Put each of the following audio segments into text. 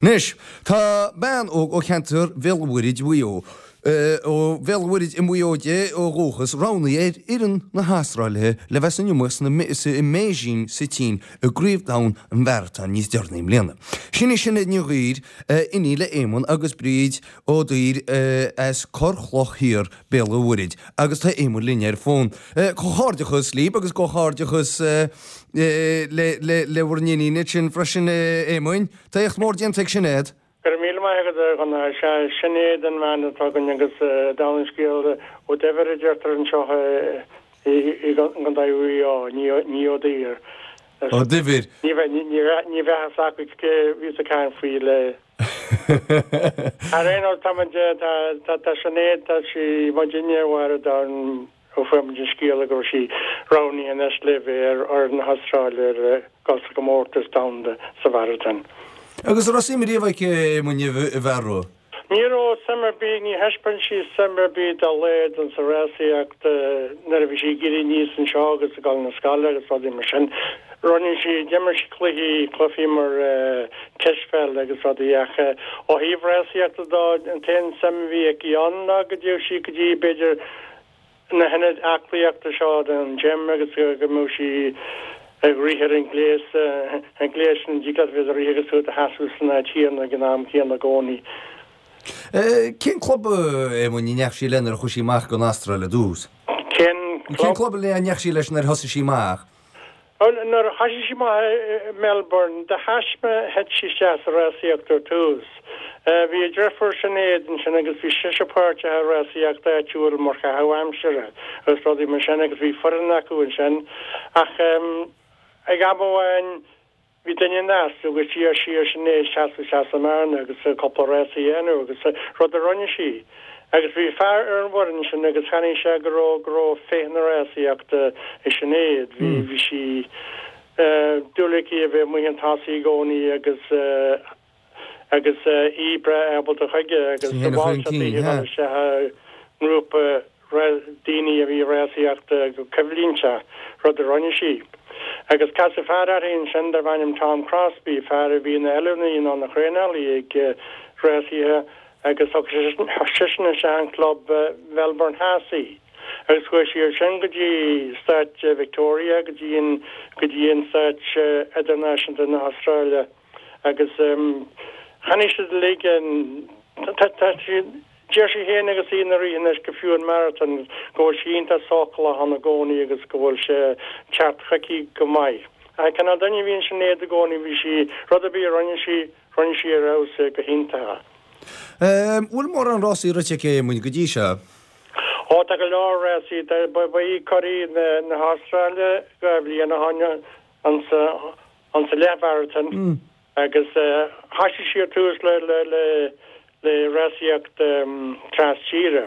Anois, tá bean óg ó cheantar Bhéal an Mhuirthead, Mhaigh Eo, ó Bhéal an Mhuirthead i Maigh Eo di ó dhúchas, roghnaithe ar fhoireann na hAstráile le bheith san iomaíocht i mBeijing sa tSín i gCraobh Domhan an Mharatóin níos deireanaí i mbliana. Sin í Sinéad Ní Dhuibhir, iníon le Éamonn agus Bríd Ó Duibhir as Corr Chloch Thiar, Béal an Mhuirthead, agus tá Éamonn linn ar fón. Comhghairdeachas libh agus comhghairdeachas le bhur n-iníon ansin freisin, Éamoinn. Tá éacht mór déanta ag Sinéad. Go raibh míle maith agat, a Dhonncha. Sea, Sinéad an bhean atá againn agus dála an scéil, Ó Duibhir a deirtear anseo i gContae Mhaigh Eo, ní Ó Duibhir. Ó Duibhir. Ní bheadh a fhios acu cé a bhíos ag caint faoi le. Ar aon nós, tá muid, tá Sinéad, tá sí, muidinne i bhfad ann. Ó fuair muid an scéala go raibh sí roghnaithe anois le bheith ar fhoireann na hAstráile le dul sa gcomórtas domhanda sa mharatón. Agus an raibh suim riamh aici Éamoinn i bhfearadh? Ní raibh suim ar bith, ní thaispeáin sí suim ar bith dá laghad insa rásaíocht nuair a bhí sí ag éirí aníos anseo agus ag dul na scoile agus rudaí mar sin. Rinne sí, d'imir sí cluichí, cluichí mar cispheil agus rudaí ach ó thaobh rásaíochta dó, an t-aon suim a bhí aici ann ná go dtéadh sí go dtí b'fhéidir na hionaid aclaíochta seo don gym agus go mbeadh sí ag rith ar an ngléas, an gléas sin a dtig leat bheith ag rith agus tú i do sheasamh san áit chéanna ag an am céanna i gcónaí. Cén club, Éamoinn, a ndeachaigh sí leis nuair a chuaigh sí amach don Astráil ar dtús? Cén club? Cén club a ndeachaigh sí leis nuair a thosaigh sí amach? Bhuel, nuair a thoisigh sí amach i Melbourne, de thaisme thit sí isteach sa rásaíocht ar tús. Bhí a deirfiúr Sinéad ansin agus bhí sise páirteach i rásaíocht áitiúil mar chaitheamh aimsire agus rudaí mar sin agus bhí foireann acu ansin. Ach ag am amháin Bhí duine ina easnamh agus d'iarr sí ar Sinéad seasamh isteach sa mbearna agus cúpla rása a dhéanamh agus rud a rinne sí. Agus bhí fear ar an bhfoireann sin agus chonaic sé go raibh go raibh féith na rásaíochta i Sinéad. Bhí bhí sí dúil aici a bheith amuigh chun tosaigh i gcónaí agus agus í breá ábalta chuige agus Sí féin a mhol chur sé chun daoithe cinn, dul isteach i ngrúpa daoine a bhí ag rásaíocht go coimhlínteach, rud a rinne sí. Agus casadh fear uirthi ansin darbh ainm Tom Crosby, fear a bhí ina oiliúnaí nó ina thraenálaí ag rásaithe agus thug seisean isteach in club Melbourne Theas í. Agus chuaigh sí ansin go dtí stáit Victoria, go dtí an go dtí an stáit idirnáisiúnta na hAstráile. Agus chonaic siad uilig an, tá sí, deir sí féin agus í ina rith anois go fiú an marathon, go bhfuil sí iontach sócúlach ann i gcónaí agus go bhfuil sé ag teacht chuici go maith. Ach cineál duine a bhí in Sinéad i gcónaí, bhí sí, rud ar bith a rinne sí, rinne sí ar fheabhas é go hiontach. Bhfuil mórán rásaí rite aici Éamoinn go dtí seo? Ó tá go leor rásaí, ba í curaidh na hAstráile 2 bhliain ó shin ansa, An sa leathmharatón agus thoisigh sí ar tús le le rásaíocht tras tíre.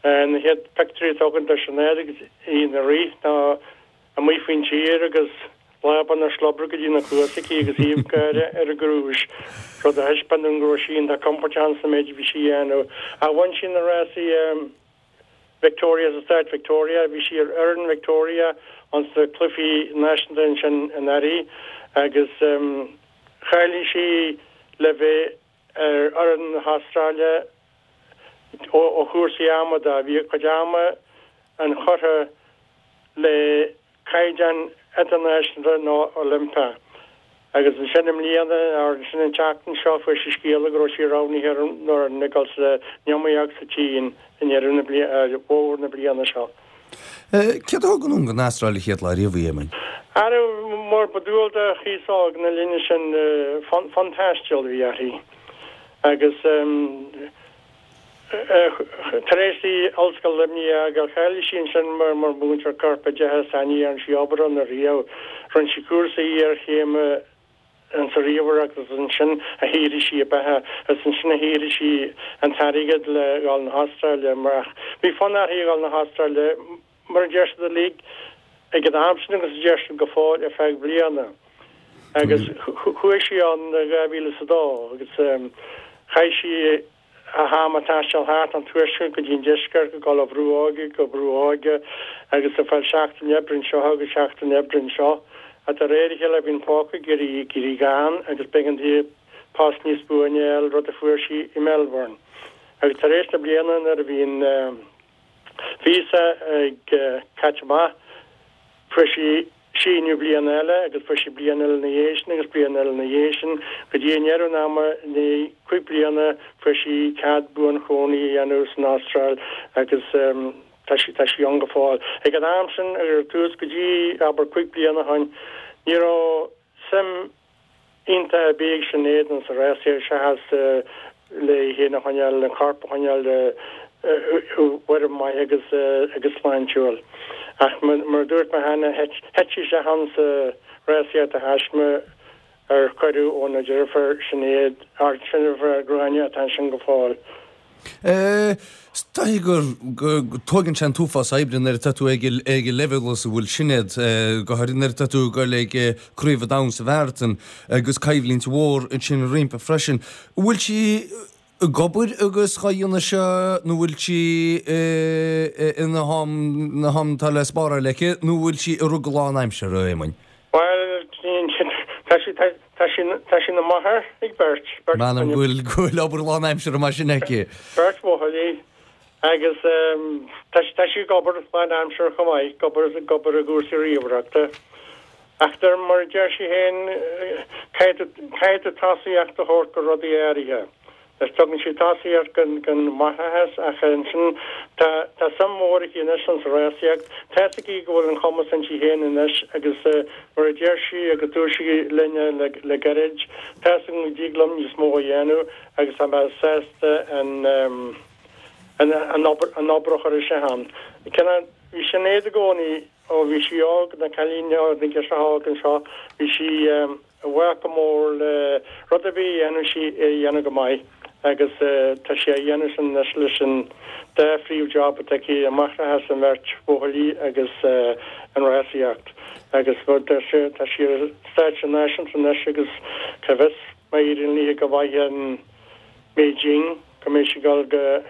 Na chéad pictiúirí atá againn de Sinéad agus í ina rith ná amuigh faoin tír agus lámh ina slobhra go dtí na cluasa aici agus aoibh gáire ar a grúis, rud a thaispeáin dúinn go raibh sí iontach compordach sa méid a bhí sí a dhéanamh. Ach bhain sí na rásaí Victoria sa stát Victoria. Bhí sí ar fhoireann Victoria ins na cluichí náisiúnta ansin anuraidh agus cháiligh sí le bheith ar fhoireann na hAstráile ó chúrsaí ama de. Bhí a cuid ama inchurtha le caighdeán idirnáisiúnta nó Oilimpeach. Agus ansin i mbliana, or ansin an tseachtain seo, fuair sí scéala go raibh sí roghnaithe ar an bhfoireann ag dul san iomaíocht sa tSín i ndeireadh na bliana, i bhfómhar na bliana seo. Céard a thug anonn don Astráil an chéad lá riamh í, Éamoinn? Ara, mar ba dual do aos óg na linne sin, fonn taistil a bhí uirthi. Agus. Tar éis di Ollscoil Luimnigh a fhágáil, cháiligh sí ansin mar mhúinteoir corpoideachais ach ní dhearna sí obair ann ariamh. Rinne sí cúrsa iarchéime sa ríomhaireacht agus ansin a shaothraigh sí a beatha agus ansin a shaothraigh sí an t-airgead le dhul na hAstráile. Ach bhí fonn uirthi a dhul na hAstráile, mar a deir siad uilig ag an am sin agus a deir siad go fóill, ar feadh bliana. Agus chuaigh sí ann i 2002 agus chaith sí a ham ag taisteal thart ón tuaisceart go dtí an deisceart, ag dul ó bhrú óige go brú óige agus ag fáil seachtain oibre anseo agus seachtain oibre anseo. Ach de réir a chéile bhí an póca ag éirí gann agus b'éigean di. Post níos buaine a fháil, rud a fuair sí i Melbourne. Agus tar éis na bliana nuair a bhí an víosa ag caite amach, fuair sí síneadh bliana eile agus fuair sí bliain eile ina dhiaidh sin agus bliain eile ina dhiaidh sin go dtí i ndeireadh an ama, i ndiaidh 5 bliana, fuair sí cead buanchónaí a dhéanamh san Astráil agus tá sí, tá sí ann go fóill. Ag an am sin, ar tús, go dtí, abair, 5 bliana ó shin, ní raibh suim iontach ar bith ag Sinéad ins an rásaíocht seachas léi féin a choinneáil, an corp a choinneáil i bhfoirm maith agus agus sláintiúil. Ach mar a dúirt mé cheana, thit sí isteach ann sa rásaíocht de thaisme ar cuireadh óna deirfiúr Sinéad, ár deirfiúr Gráinne atá ansin go fóill. Is dóigh go dtógann sé an t-uafás oibre nuair atá tú ag an leibhéal is a bhfuil Sinéad, go háirithe nuair atá tú ag dul ag Craobh an Domhain sa Mharatón agus coimhlint mhór ansin roimpi freisin. An bhfuil sí ag obair agus á dhéanamh seo nó bhfuil sí ina ham, ham atá le spáráil aici nó bhfuil sí ag rith go lánaimseartha, a Éamoinn? Bhuel, tá sí, tá sí, tá sí ina máthair ag beirt, beirt M'anam go bhfuil, go bhfuil obair lánaimseartha mar sin aici. Beirt bhuachaillí agus tá, tá sí ag obair lánaimseartha chomh maith, ag obair, ag obair i gcúrsaí ríomhaireachta. Ach de mar a deir sí féin, caithfidh tú, caithfidh tú tosaíocht a thabhairt go rudaí áirithe. Is tugann sí tosaíocht don mháithreachas ach ansin tá tá suim mhór aici anois ins an rásaíocht. Tá fhios aici go bhfuil an cumas inti féin anois agus mar a deir sí agus dúirt sí linne le le gairid, tá fhios agam go dtig liom níos mó a dhéanamh agus tá mé sásta an an an obair an obair a chur isteach ann. Cineál bhí Sinéad i gcónaí ó bhí sí óg, ina cailín óg, ina girseach óg anseo, bhí sí i bhfách go mór le rud ar bith a dhéanann sí é a dhéanamh go maith agus tá sí á dhéanamh sin anois leis an dá phríomh-job atá aici, an máithreachas an bheirt bhuachaillí agus an rásaíocht agus tá sí tá sí ar stáitse náisiúnta anois agus cá bhfios má éiríonn léi go maith in Beijing go mbeidh sí ag dul go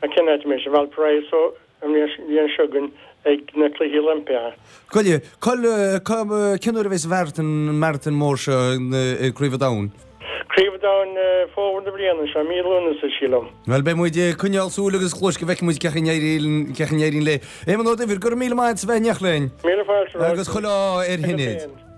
Cén áit a mbeidh sí? Valparaiso an bhliain seo chugainn ag na Cluichí Oilimpeacha. Goile, cén uair a bheas an mharatón, an maratón mór seo ag Craobh an Domhain? Craobh an Domhain fómhar na bliana seo, mí Lúnasa, sílim. Bhuel, beidh muid ag coinneáil súil agus cluais go bhfeicfidh muid cén chaoi a n-éiríonn léi. Éamonn Ó Duibhir, go raibh míle maith agat as a bheith in éineacht linn. Míle fáilte romhat. Agus chuile ádh ar Shinéad.